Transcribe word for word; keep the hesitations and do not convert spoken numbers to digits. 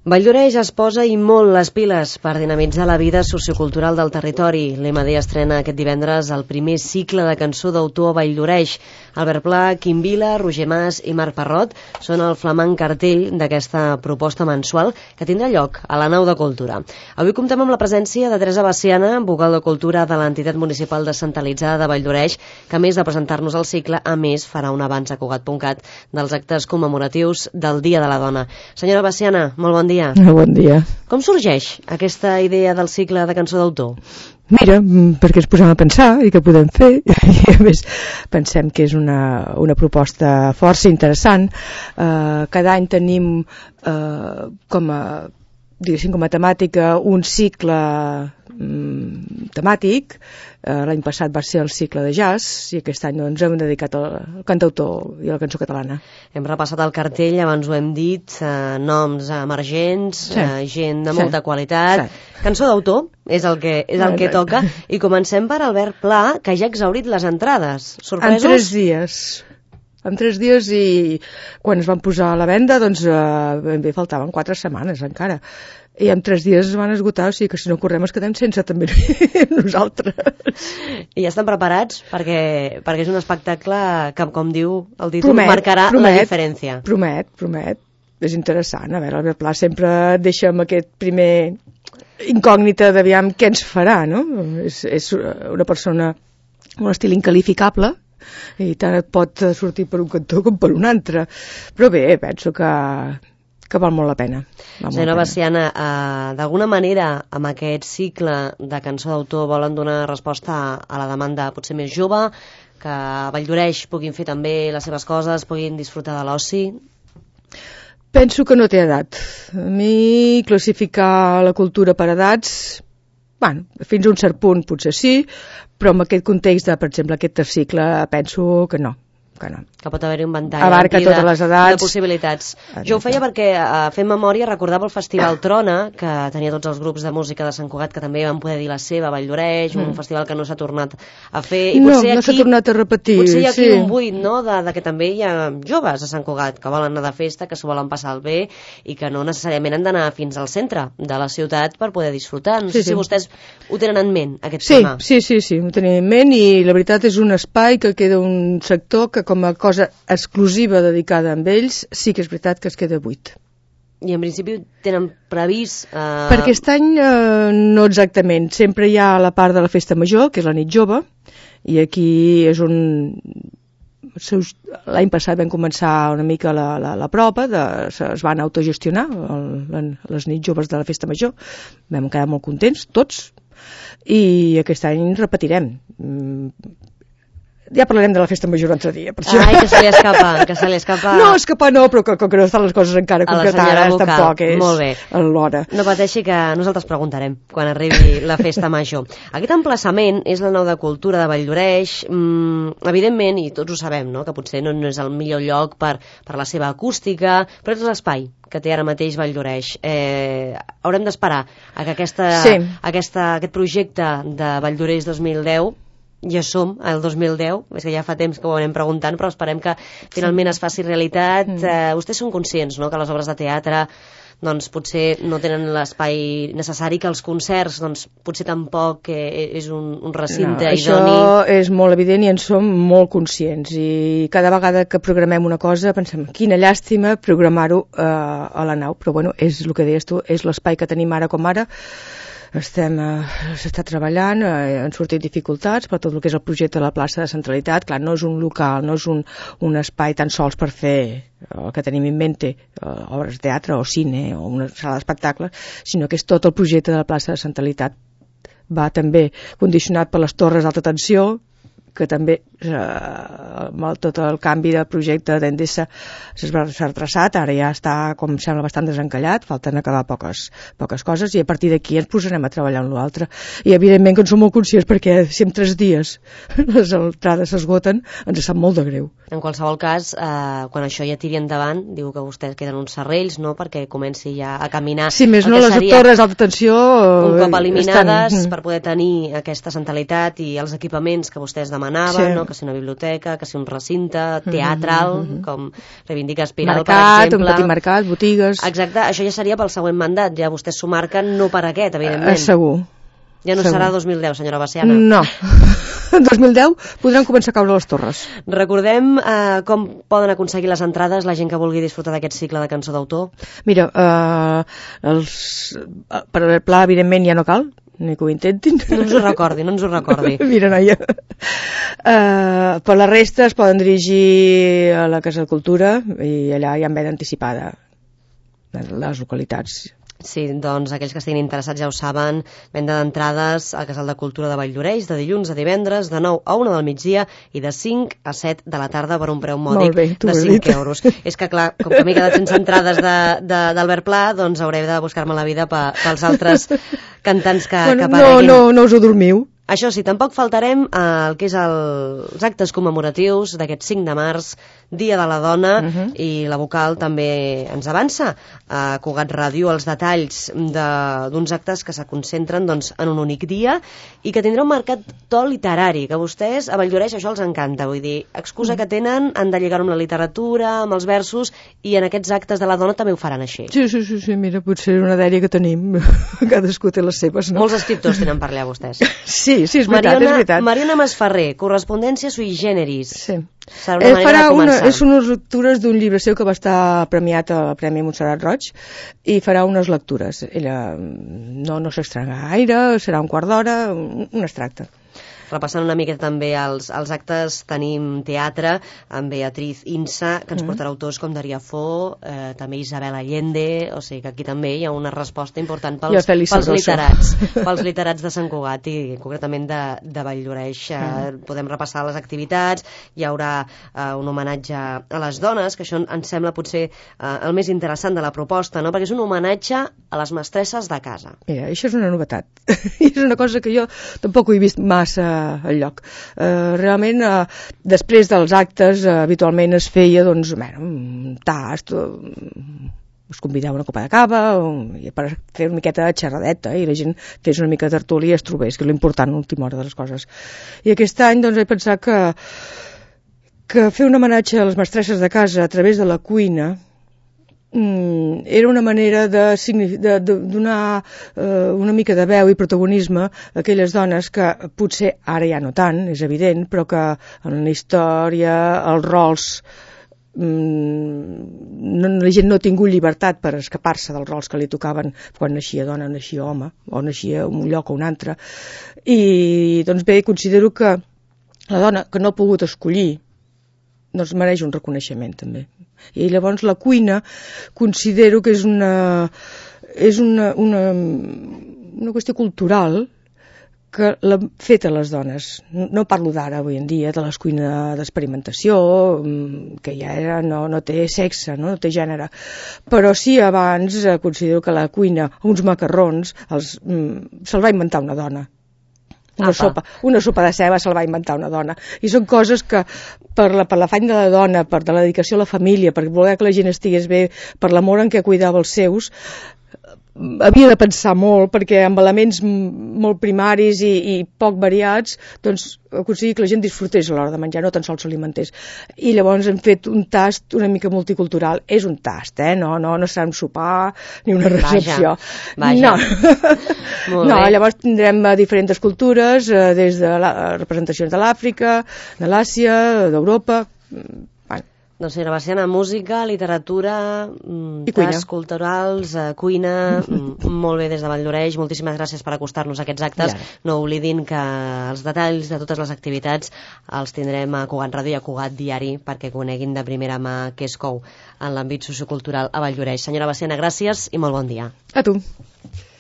Valldoreix es posa i molt les piles per dinamitzar la vida sociocultural del territori. L'E M D estrena aquest divendres el primer cicle de cançó d'autor a Valldoreix. Albert Pla, Quim Vila, Roger Mas i Marc Parrot són el flamant cartell d'aquesta proposta mensual que tindrà lloc a la Nau de Cultura. Avui comptem amb la presència de Teresa Baciana, vocal de Cultura de l'entitat municipal descentralitzada de Valldoreix, que a més de presentar-nos el cicle, a més farà un avanç a Cugat punt cat dels actes commemoratius del Dia de la Dona. Senyora Baciana, molt bon dia. Bon dia. Com sorgeix aquesta idea del cicle de cançó d'autor? Mira, perquè ens posem a pensar i què podem fer, i a més pensem que és una, una proposta força interessant. Uh, cada any tenim uh, com a diguéssim com a temàtica un cicle um, temàtic. Uh, l'any passat va ser el cicle de jazz i aquest any ens hem dedicat al, al cantautor i a la cançó catalana. Hem repassat el cartell, abans ho hem dit, uh, noms emergents, sí. uh, gent de molta sí. qualitat. Sí. Cançó d'autor és el que, és el que toca, i comencem per Albert Pla, que ja ha exhaurit les entrades. Sorpresos? En tres dies. En tres dies, i quan es van posar a la venda, doncs eh, ben bé faltaven quatre setmanes encara. I en tres dies es van esgotar, o sigui que si no correm es quedem sense també nosaltres. I ja estan preparats? Perquè, perquè és un espectacle que, com diu el títol, promet, marcarà promet, la diferència. Promet, promet. És interessant. A veure, Albert Pla sempre deixa amb aquest primer incògnita d'aviam què ens farà, no? És, és una persona amb un estil incalificable, i tant et pot sortir per un cantó com per un altre, però bé, penso que, que val molt la pena. Senyora Baciana, eh, d'alguna manera amb aquest cicle de cançó d'autor volen donar resposta a la demanda potser més jove, que a Valldoreix puguin fer també les seves coses, puguin disfrutar de l'oci? Penso que no té edat. A mi classificar la cultura per edats, bueno, fins a un cert punt potser sí, però en aquest context de, per exemple, aquest cicle, penso que no. Que, no. que pot haver-hi un ventall abarca de, totes les edats, de possibilitats. Jo ho feia perquè, uh, fent memòria, recordava el Festival Trona, que tenia tots els grups de música de Sant Cugat que també van poder dir la seva a Valldoreix, mm. un festival que no s'ha tornat a fer. I no, potser no aquí, s'ha tornat a repetir. Potser hi ha aquí sí. un buit, no?, de, de que també hi ha joves a Sant Cugat que volen anar de festa, que s'ho volen passar bé i que no necessàriament han d'anar fins al centre de la ciutat per poder disfrutar. No sé sí, si sí. vostès ho tenen en ment, aquest sí, tema. Sí, sí, sí, ho tenim en ment, i la veritat és un espai que queda un sector que com a cosa exclusiva dedicada a ells, sí que és veritat que es queda buit. I en principi tenen previst... Eh... Per aquest any eh, no exactament. Sempre hi ha la part de la festa major, que és la nit jove, i aquí és un... L'any passat vam començar una mica la, la, la prova, de, es van autogestionar el, les nits joves de la festa major, vam quedar molt contents, tots, i aquest any repetirem. Ja parlarem de la festa major un altre dia. Per això. Ai, que se li escapa, que se li escapa... No, escapar no, però que, que no estan les coses encara concretades, tampoc és l'hora. No pateixi, que nosaltres preguntarem quan arribi la festa major. Aquest emplaçament és la Nau de Cultura de Valldoreix. Mm, evidentment, i tots ho sabem, no?, que potser no, no és el millor lloc per, per la seva acústica, però és l'espai que té ara mateix Valldoreix. Eh, haurem d'esperar a que aquesta, sí. aquesta, aquest projecte de Valldoreix dos mil deu, ja som al dos mil deu, és que ja fa temps que ho anem preguntant, però esperem que finalment es faci realitat. Mm. Eh, vostès són conscients, no?, que les obres de teatre doncs potser no tenen l'espai necessari, que els concerts doncs potser tampoc eh, és un, un recinte no, idoni. Això és molt evident i en som molt conscients, i cada vegada que programem una cosa pensem, quina llàstima programar-ho eh, a la Nau, però bueno, és el que deies tu, és l'espai que tenim ara com ara. Estem, eh, s'està treballant, eh, han sortit dificultats per tot el que és el projecte de la plaça de Centralitat. Clar, no és un local, no és un, un espai tan sols per fer el que tenim en mente, eh, obres de teatre o cine o una sala d'espectacle, sinó que és tot el projecte de la plaça de Centralitat. Va també condicionat per les torres d'alta tensió, que també eh, amb tot el canvi de projecte d'Endesa s'ha retrasat, ara ja està, com sembla, bastant desencallat, falten acabar poques, poques coses, i a partir d'aquí ens posarem a treballar en l'altre. I evidentment que en som molt conscients, perquè si en tres dies les entrades s'esgoten, ens sap molt de greu. En qualsevol cas, eh, quan això ja tiri endavant, diu que vostès queden uns serrells, no?, perquè comenci ja a caminar. Sí, més no, les torres d'alta tensió un cop eliminades estan... per poder tenir aquesta centralitat i els equipaments que vostès demanaven, sí. no?, que si una biblioteca, que si un recinte teatral, mm -hmm. com reivindica Espiral, mercat, per exemple. Un petit mercat, botigues... Exacte, això ja seria pel següent mandat, ja vostès s'ho marquen, no per aquest, evidentment. Uh, segur. Ja no segur. serà dos mil deu, senyora Veciana. No. En dos mil deu podran començar a caure les torres. Recordem eh, com poden aconseguir les entrades la gent que vulgui disfrutar d'aquest cicle de cançó d'autor? Mira, eh, els, per el pla, evidentment, ja no cal, ni que ho intentin. No ens ho recordi, no ens ho recordi. Mira, noia. Uh, per la resta es poden dirigir a la Casa de Cultura i allà hi ha venda anticipada les localitats. Sí, doncs aquells que estiguin interessats ja ho saben, venda d'entrades al Casal de Cultura de Valldoreix de dilluns a divendres de nou a una del migdia i de cinc a set de la tarda per un preu mòdic bé, de cinc euros. És que clar, com que m'he quedat sense entrades d'Albert Pla, doncs hauré de buscar-me la vida pe, pels altres cantants que, bueno, que apareguin. No, no, no us ho dormiu. Això sí, tampoc faltarem eh, el que és el, els actes commemoratius d'aquest cinc de març, Dia de la Dona, uh -huh. i la vocal també ens avança a Cugat Ràdio els detalls d'uns de, actes que se concentren doncs, en un únic dia i que tindrà un marcat to literari, que a vostès a Valldoreix això els encanta, vull dir, excusa uh -huh. que tenen, han de lligar-ho amb la literatura, amb els versos, i en aquests actes de la dona també ho faran així. Sí, sí, sí, sí, mira, potser una dèria que tenim, cadascú té les seves, no? Molts escriptors tenen per allà vostès. Sí, sí, és veritat, Mariona, és veritat. Mariona Masferrer, correspondència sui generis. Sí. Serà una eh, manera de començar. Una, és unes lectures d'un llibre seu que va estar premiat al Premi Montserrat Roig i farà unes lectures. Ella no, no s'estrena gaire, serà un quart d'hora, un, un extracte. Repassant una mica també els, els actes, tenim teatre amb Beatriz Insa, que ens mm. portarà autors com Daria Fo, eh, també Isabel Allende, o sigui que aquí també hi ha una resposta important pels, pels literats, pels literats de Sant Cugat i concretament de, de Valldoreix. Eh, mm. Podem repassar les activitats, hi haurà eh, un homenatge a les dones, que això ens sembla potser eh, el més interessant de la proposta, no? Perquè és un homenatge a les mestresses de casa. Mira, això és una novetat. És una cosa que jo tampoc ho he vist massa al lloc. Uh, realment, uh, després dels actes, uh, habitualment es feia doncs, bueno, un tast, uh, us convidava una copa de cava, uh, per fer una miqueta de xerradeta, eh, i la gent fes una mica de tertúlia i es trobés, que és l'important a l'última hora de les coses. I aquest any doncs, he pensat que, que fer un homenatge a les mestresses de casa a través de la cuina era una manera de, de, de donar eh, una mica de veu i protagonisme a aquelles dones que potser ara ja no tant, és evident, però que en la història, els rols, mm, no, la gent no ha tingut llibertat per escapar-se dels rols que li tocaven quan naixia dona, naixia home, o naixia en un lloc o un altre. I doncs bé, considero que la dona que no ha pogut escollir doncs mereix un reconeixement també. I llavors la cuina considero que és una és una, una, una qüestió cultural que l'han fet a les dones. No parlo d'ara, avui en dia, de les cuines d'experimentació, que ja era, no, no té sexe, no, no té gènere. Però sí, abans eh, considero que la cuina, uns macarrons, els, mm, se'l va inventar una dona. Una sopa, una sopa de ceba se'l va inventar una dona. I són coses que per la, per l'afany de la dona, per de la dedicació a la família, per voler que la gent estigués bé, per l'amor en què cuidava els seus, havia de pensar molt, perquè amb elements molt primaris i, i poc variats, doncs aconseguir que la gent disfrutés a l'hora de menjar, no tan sols s'alimentés. I llavors hem fet un tast una mica multicultural. És un tast, eh? No, no, no serà un sopar ni una recepció. Vaja, vaja. No. No, llavors tindrem diferents cultures, eh, des de la, representacions de l'Àfrica, de l'Àsia, d'Europa. Doncs senyora Veciana, música, literatura, tasks culturals, eh, cuina, molt bé des de Valldoreix. Moltíssimes gràcies per acostar-nos a aquests actes. Ja. No oblidin que els detalls de totes les activitats els tindrem a Cugat Ràdio i a Cugat Diari perquè coneguin de primera mà què es cou en l'àmbit sociocultural a Valldoreix. Senyora Veciana, gràcies i molt bon dia. A tu.